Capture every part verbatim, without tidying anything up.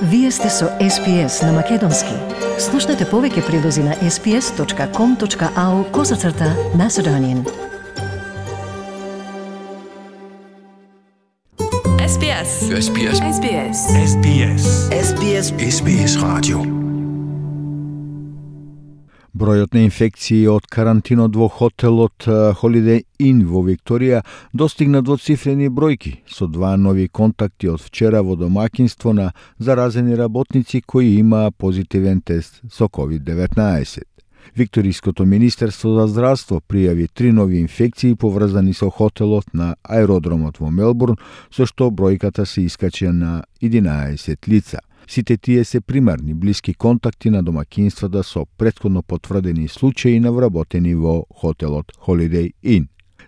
Вие сте со Ес Би Ес на Македонски. Слушнете повеќе прилози на ес би ес точка ком точка ау козацрта Macedonian. Ес Би Ес. Ес Би Ес. Ес Би Ес. Ес Би Ес. Ес Би Ес. Ес Би Ес радио. Бројот на инфекции од карантинот во хотелот Holiday Inn во Викторија достигна двоцифрени бројки, со два нови контакти од вчера во домаќинство на заразени работници кои имаа позитивен тест со ковид деветнаесет. Викториското министерство за здравство пријави три нови инфекции поврзани со хотелот на аеродромот во Мелбурн, со што бројката се искача на единаесет лица. Сите тие се примарни блиски контакти на домаќинствата со претходно потврдени случаи на вработени во хотелот Holiday Inn.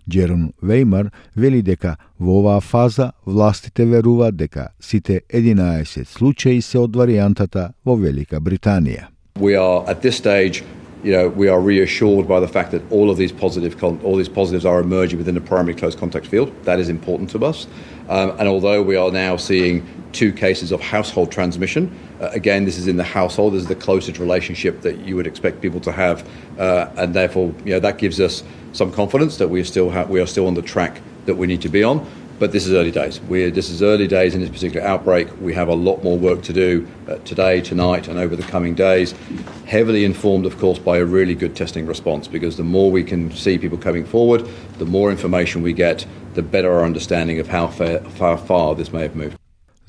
Джерон Вејмар вели дека во оваа фаза властите веруваат дека сите единаесет случаи се од варијантата во Велика Британија. We are at this stage, you know, we are reassured by the fact that all of these positive, all these positives are emerging within the primary close contact field. That is important to us. Um, and although we are now seeing two cases of household transmission, uh, again, this is in the household. This is the closest relationship that you would expect people to have, uh, and therefore, you know, that gives us some confidence that we are still ha- we are still on the track that we need to be on. But this is early days. We're, this is early days in this particular outbreak. We have a lot more work to do uh, today, tonight, and over the coming days. Heavily informed, of course, by a really good testing response, because the more we can see people coming forward, the more information we get, the better our understanding of how far, far, far this may have moved.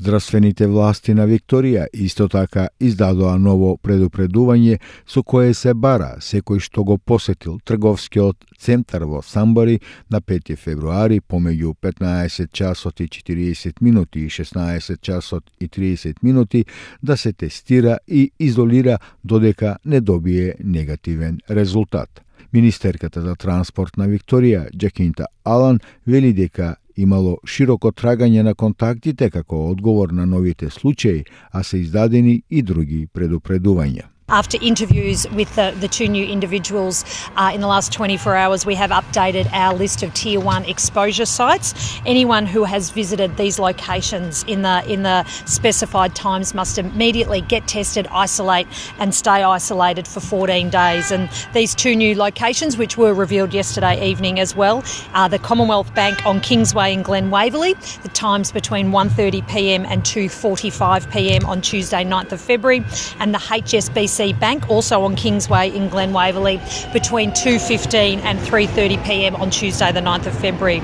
Здравствените власти на Викторија исто така издадоа ново предупредување со кое се бара секој што го посетил трговскиот центар во Самбари на пети февруари помеѓу петнаесет часот и четириесет минути и шеснаесет часот и триесет минути да се тестира и изолира додека не добие негативен резултат. Министерката за транспорт на Викторија, Джакинта Алан, вели дека имало широко трагање на контактите како одговор на новите случаи, а се издадени и други предупредувања. After interviews with the, the two new individuals uh, in the last twenty-four hours, we have updated our list of Tier one exposure sites. Anyone who has visited these locations in the in the specified times must immediately get tested, isolate and stay isolated for fourteen days. And these two new locations, which were revealed yesterday evening as well, are the Commonwealth Bank on Kingsway in Glen Waverley, the times between one thirty p.m. and two forty-five p.m. on Tuesday ninth of February, and the H S B C Bank, also on Kingsway in Glen Waverley, between two fifteen and three thirty p.m. on Tuesday the ninth of February.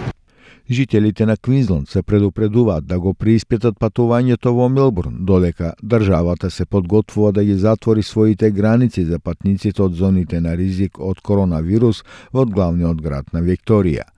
Жителите на Квинсленд се предупредуваат да го преиспитат патувањето во Мелбурн, додека државата се подготвува да ги затвори своите граници за патниците од зоните на ризик од коронавирус во главниот град на Викторија.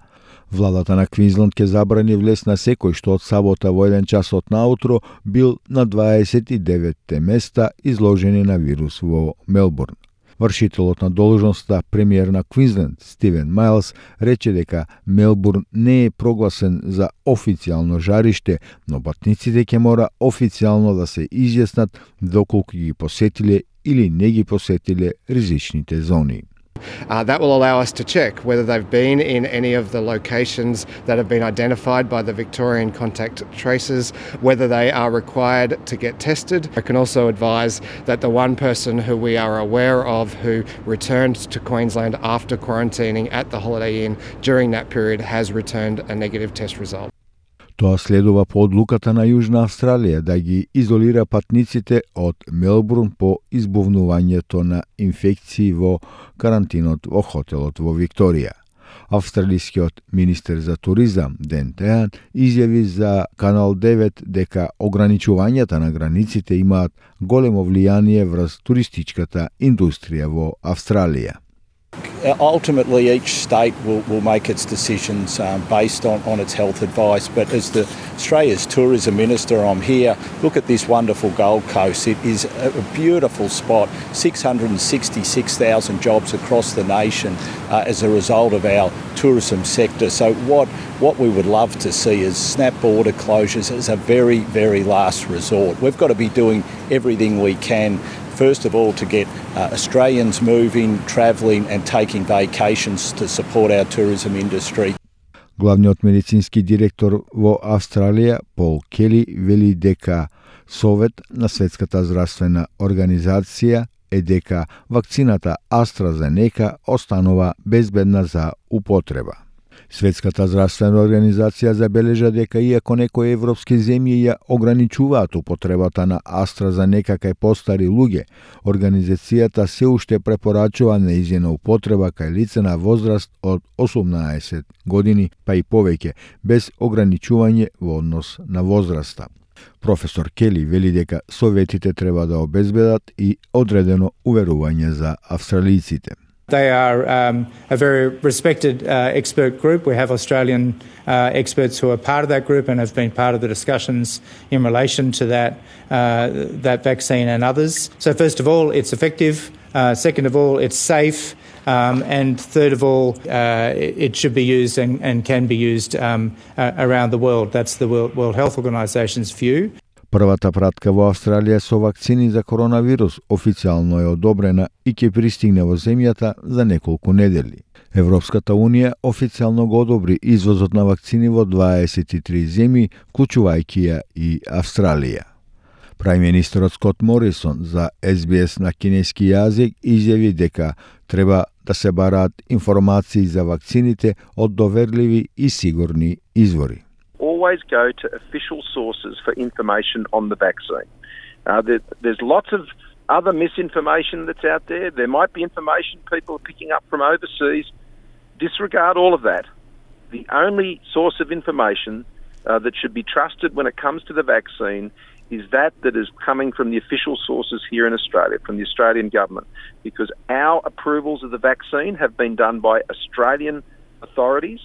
Владата на Квинсленд ќе забрани влез на секој што од сабота во еден часот наутро бил на дваесет и деветте места изложени на вирус во Мелбурн. Вршителот на должноста премиер на Квинсленд Стивен Майлс рече дека Мелбурн не е прогласен за официјално жариште, но патниците ќе мора официјално да се изјаснат доколку ги посетиле или не ги посетиле ризичните зони. Uh, that will allow us to check whether they've been in any of the locations that have been identified by the Victorian contact tracers, whether they are required to get tested. I can also advise that the one person who we are aware of who returned to Queensland after quarantining at the Holiday Inn during that period has returned a negative test result. Тоа следува по одлуката на Јужна Австралија да ги изолира патниците од Мелбурн по избувнувањето на инфекции во карантинот во хотелот во Викторија. Австралискиот министер за туризам Ден Теан изјави за Канал девет дека ограничувањата на границите имаат големо влијание врз туристичката индустрија во Австралија. Ultimately, each state will, will make its decisions um, based on, on its health advice. But as the Australia's Tourism Minister, I'm here. Look at this wonderful Gold Coast. It is a beautiful spot. six hundred sixty-six thousand jobs across the nation uh, as a result of our tourism sector. So what, what we would love to see is snap border closures as a very, very last resort. We've got to be doing everything we can, first of all, to get uh, Australians moving, travelling and taking vacations to support our tourism industry. Главниот медицински директор во Австралија, Пол Кели, вели дека Совет на Светската здравствена организација е дека вакцината AstraZeneca останува безбедна за употреба. Светската здравствена организација забележа дека иако некои европски земји ја ограничуваат употребата на AstraZeneca кај постари луѓе, организацијата се уште препорачува нејзина употреба кај лица на возраст од осумнаесет години па и повеќе, без ограничување во однос на возраста. Професор Кели вели дека советите треба да обезбедат и одредено уверување за австралиците. They are um, a very respected uh, expert group. We have Australian uh, experts who are part of that group and have been part of the discussions in relation to that uh, that vaccine and others. So first of all, it's effective. Uh, second of all, it's safe. Um, and third of all, uh, it should be used and, and can be used um, uh, around the world. That's the World, World Health Organization's view. Првата пратка во Австралија со вакцини за коронавирус официјално е одобрена и ќе пристигне во земјата за неколку недели. Европската унија официјално го одобри извозот на вакцини во дваесет и три земји, вклучувајќи ја и Австралија. Прајм-министерот Скот Морисон за Ес Би Ес на кинески јазик изјави дека треба да се бараат информации за вакцините од доверливи и сигурни извори. Always go to official sources for information on the vaccine. Uh, there, there's lots of other misinformation that's out there. There might be information people are picking up from overseas. Disregard all of that. The only source of information uh, that should be trusted when it comes to the vaccine is that that is coming from the official sources here in Australia, from the Australian government, because our approvals of the vaccine have been done by Australian authorities.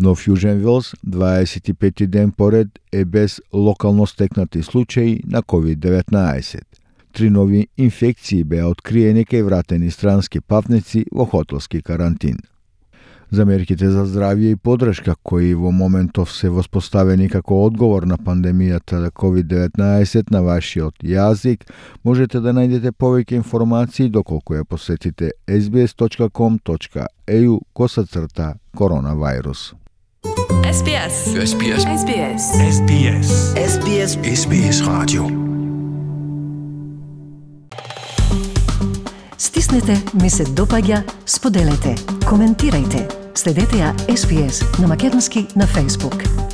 Но Фјужен Велс дваесет и пети ден поред е без локално стекнати случаи на ковид деветнаесет. Три нови инфекции беа откриени кај вратени странски патници во хотелски карантин. За мерките за здравје и подршка кои во моментов се воспоставени како одговор на пандемијата на ковид деветнаесет на вашиот јазик, можете да најдете повеќе информации доколку ја посетите ес би ес точка ком точка ей ю косацрта коронавирус. Ес Би Ес. Ес Би Ес. Ес Би Ес. Ес Би Ес. Ес Би Ес. Ес Би Ес радио. Стиснете, ми се допаѓа, споделете, коментирајте. Следете ја Ес Би Ес на македонски на Facebook.